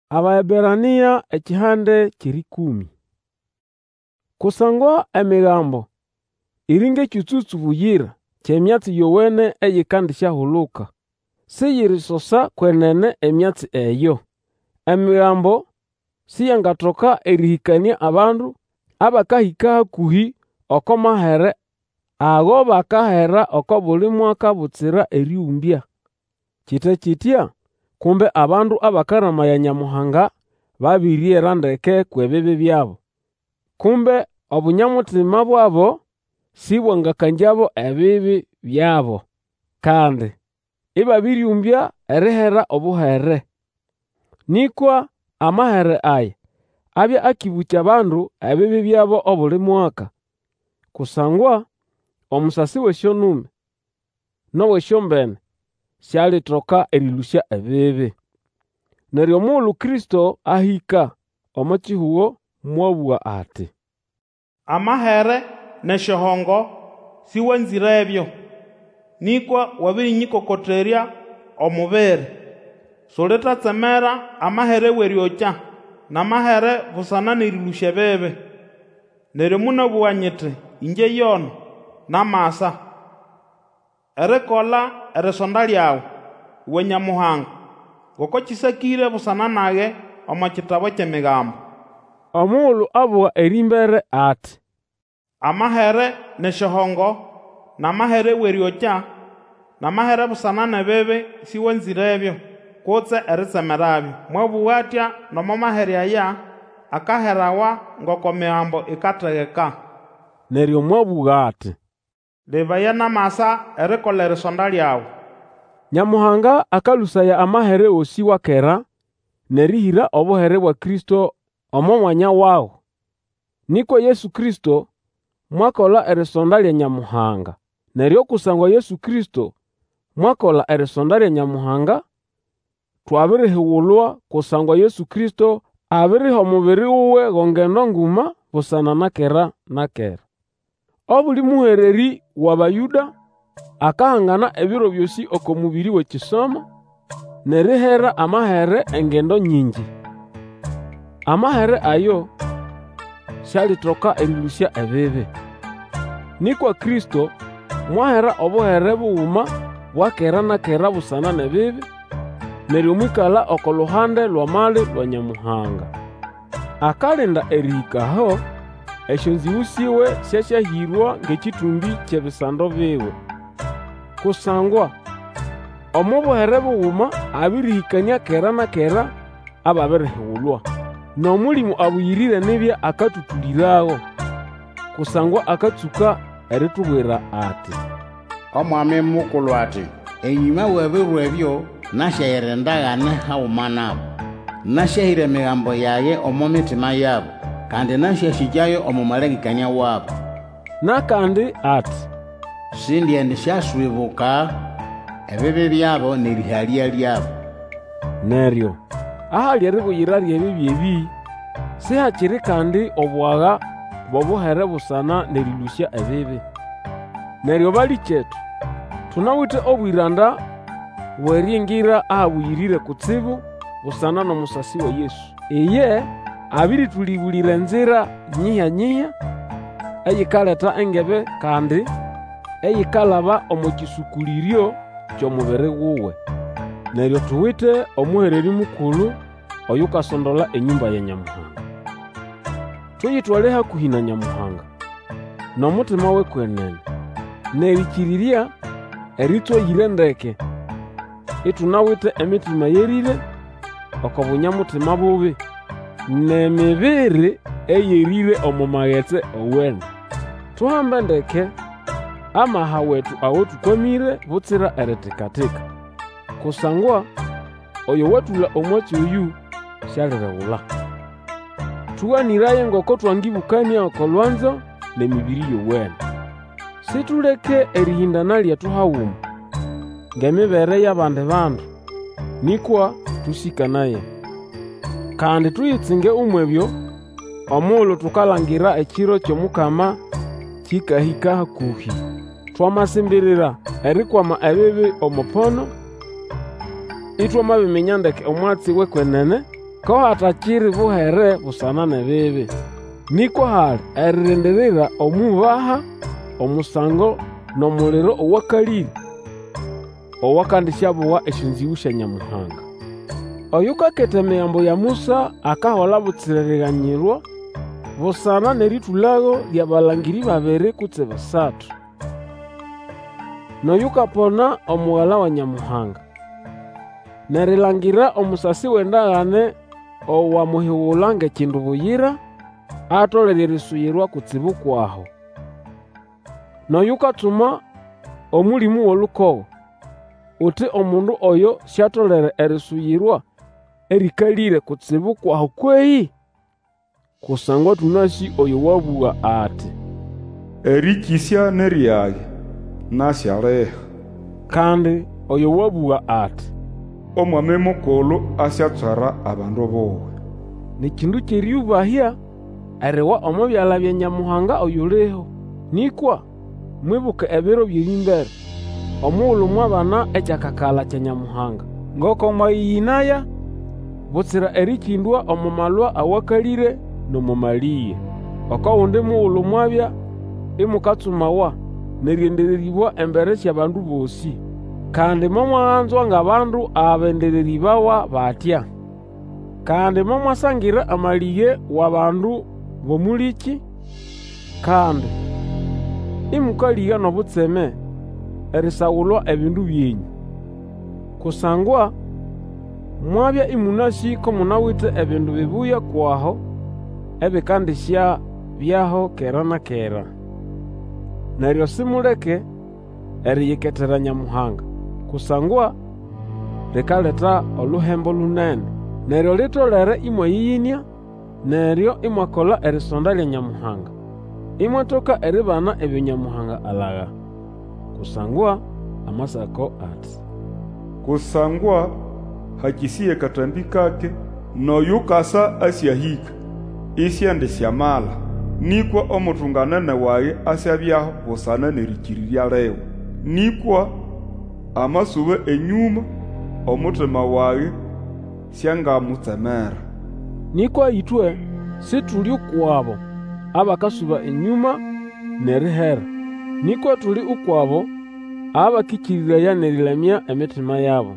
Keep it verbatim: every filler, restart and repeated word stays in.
Abaeberania ekihande ky'erĩkũmĩ. Kusangwa Emigambo iri ng'ekyũtsũtsũ buyira ky'emyatsi yowene eyikandisyahuluka, siyirisosa kwenene emyatsi eyo. Emigambo siyangatoka erĩhĩkanĩa abandu abakahĩka hakũhĩ oko mahere ago bakahera oko buli mwaka butsira erĩũmbya. Kite kitya, kumbe abandu abakaramaya Nyamuhanga babĩriyera ndeke kw'ebibi byabo, kumbe obunya-mutima bwabo sĩbwangakangyabo ebibi byabo, kandi ĩbabĩrĩũmbya erihera obuhere. Nĩkwa amahere aya abya akĩbũkya abandu ebibi byabo obuli mwaka. Kusangwa omusasi w'esyonume n'ow'esyombene sialitoka erĩlũsya ebibi. Neryo omugulu Kristo ahĩka omo kihugo mwabũga ati, Amahere n'esyohongo sĩwanzĩrebyo, Nĩkwa wabĩrĩnyĩkokoterya omubiri. Sulitatsemera amahere w'erĩokya, N'amahere busana n'erĩlũsya ebibi. Neryo monabũga nyiti, Ĩngye yono, namasa, Erikola erisonda lyawe, uwe Nyamuhanga, Ngoko kĩsakĩre busana nage omo kitabu ky'Emigambo. Omugulu abuga erĩmbere ati, Amahere n'esyohongo, n'amahere w'erĩokya, n'amahere busana n'ebibi sĩwanzĩrebyo, kutse eritsemerabyo. Mwabũga atya nomo mahere aya akaherawa ngoko Migambo ikategeka. Neryo mwabũga ati, Lebaya, namasa erikola erisonda lyawe. Nyamuhanga akalũsaya amahere gosĩ wa kera n'erĩhĩra obuhere bwa Kristo omo mwanya wago. Nĩkwa Yesu Kristo mwakola erisonda lya Nyamuhanga. Neryo kusangwa Yesu Kristo mwakola erisonda lya Nyamuhanga, twabirihigulwa kusangwa Yesu Kristo abiriha omubiri wuwe go ngendo nguma busana na kera na kera. Obuli mũhererĩ w'Abayũda akahangana ebiro byosĩ oko mũbĩrĩ w'ekisomo, n'erihera amahere engendo nyingi. Amahere ayo sialitoka erĩlũsya ebibi. Nĩkwa Kristo mwahera obuhere buguma bwa kera na kera busana n'ebibi, neryo mwĩkala oko luhande lw'amali lwa Nyamuhanga. Akalinda erĩhĩka aho esyonzĩgũ syiwe syasyahĩrwa ng'ekĩtũmbĩ ky'ebisando biwe. Kusangwa omo buhere buguma abĩrĩhĩkanĩa kera na kera ababirihigulwa. N'Omũlĩmũ Abũyĩrĩre nibya akatũtũlĩrago, kusangwa akatsũka eritubwira ati, Omwami Mukulu ati, Enyũma w'ebiro ebyo nasyahira endagane haguma nabo. Nasyahĩra Emigambo yage omo mitima yabo, Kandi nasyasĩkyayo omo malengekanĩa wabo. N'akandi ati, Sindiendisyaswibuka ebibi byabo n'erĩhalya lyabo. Neryo ahali eribuyira ly'ebibi ebĩ, sihakiri kandi obwaga bw'obuhere busana n'erĩlũsya ebibi. Neryo balĩkyetu, tunawite obwĩranda bw'eriingira Ahabũyĩrĩre Kutsibu busana n'omusasi wa Yesu. Iye abĩrĩtũlĩbũlĩra enzira nyihya-nyihya eyikaleta engebe kandi eyikalaba omo kĩsũkũlĩryo ky'omubiri wuwe. Neryo tuwite omũhererĩ mukulu oyukasondola enyũmba ya Nyamuhanga. Tuyitwale hakũhĩ na Nyamuhanga, n'omutima w'ekwenene, n'erĩkĩrĩrya erĩtswayĩre ndeke, itunawite emitima yerĩre oko bunya-mutima bubi, n'emibiri eyerĩre omo magetsi owene. Tuhambe ndeke amaha wetu ago tũkwamĩre butsira eritika-tika, kusangwa oyo watũla omwatsi oyũ sialiregula. Tũganĩraye ngoko twangĩbũkanĩa oko lwanzo n'emĩbĩrĩ yowene. Situleke erĩhĩndana lyetu haguma, ng'emibere y'abandi bandu, nĩkwa tũsĩkanaye. Kandi tuyitsinge umw'ebyo omugulu tukalangira ekiro ky'Omukama kĩkahĩka hakũhĩ. Twamasimbirira erikwama ebibi omo pono, itwamabiminya ndeke omwatsi w'ekwenene, Ko hatakiri buhere busana n'ebibi. Nĩkwa hali eririndirira omw'iubaha omusango n'omuliro owakalĩre, owakandisyabuga esyonzĩgũ sya Nyamuhanga. Oyukaketa Emigambo ya Musa akahola butsira eriganyirwa busana n'erĩtũlago ly'abalangĩrĩ babiri kutse basatu. N'oyukapona Omugala wa Nyamuhanga, n'erilangira omusasi w'endagane owamuhigula ng'ekindu buyira, atolere erisuyirwa kutsibu kw'aho. N'oyukatsuma Omũlĩmũ w'olukogo, uti omundu oyo siatolere erisuyirwa erĩkalĩre kutsibu kw'aho kwehĩ? Kusangwa tũnasĩ oyo wabũga ati, Erĩkĩsya ni ryage, nasyaliha. Kandi oyo wabũga ati, Omwami Mukulu asyatswera abandu buwe. Ni kindu ky'erĩyũbahya eriwa omo byala bya Nyamuhanga oyuliho. Nĩkwa mwibuke ebiro by'erĩmbere, omugulu mwabana ekyakakala kya Nyamuhanga, ngoko mwayĩyĩnaya butsira erĩkĩndwa omo malwa awakalĩre n'omo malĩge. Oko gundi mugulu mwabya imukatsumawa n'erĩendererĩbwa embere sy'abandu bosĩ. Kandi momwaganzwa ng'abandu abendererĩbawa batya. Kandi momwasangira amalĩge w'abandu b'omũlĩkĩ, kandi ĩmũkalĩga n'obutseme erisagulwa ebindu byenyũ. Kusangwa mwabya ĩmũnasĩ ko munawite ebindu bibuya kw'aho ebĩkandĩsyabyaho kera na kera. Neryo simuleke eriyiketera Nyamuhanga, kusangwa likaleta oluhembo lunene. Neryo litolere ĩmwayĩyĩnĩa, neryo imwakola erisonda lya Nyamuhanga, imwatoka eribana ebyo Nyamuhanga alaga. Kusangwa Amasako ati, Kusangwa hakĩsĩya akatambĩ kake, N'oyukasa asyahĩka, isiendisyamala. Nĩkwa omutunganene wage asyabyaho busana n'erĩkĩrĩrya liwe. Nĩkwa amasuba enyũma, omutima wage siangamutsemera. Nĩkwa ĩtwe situli ukw'abo abakasuba enyũma n'erihera, nĩkwa tuli ukw'abo abakĩkĩrĩraya n'erĩlamya emitima yabo.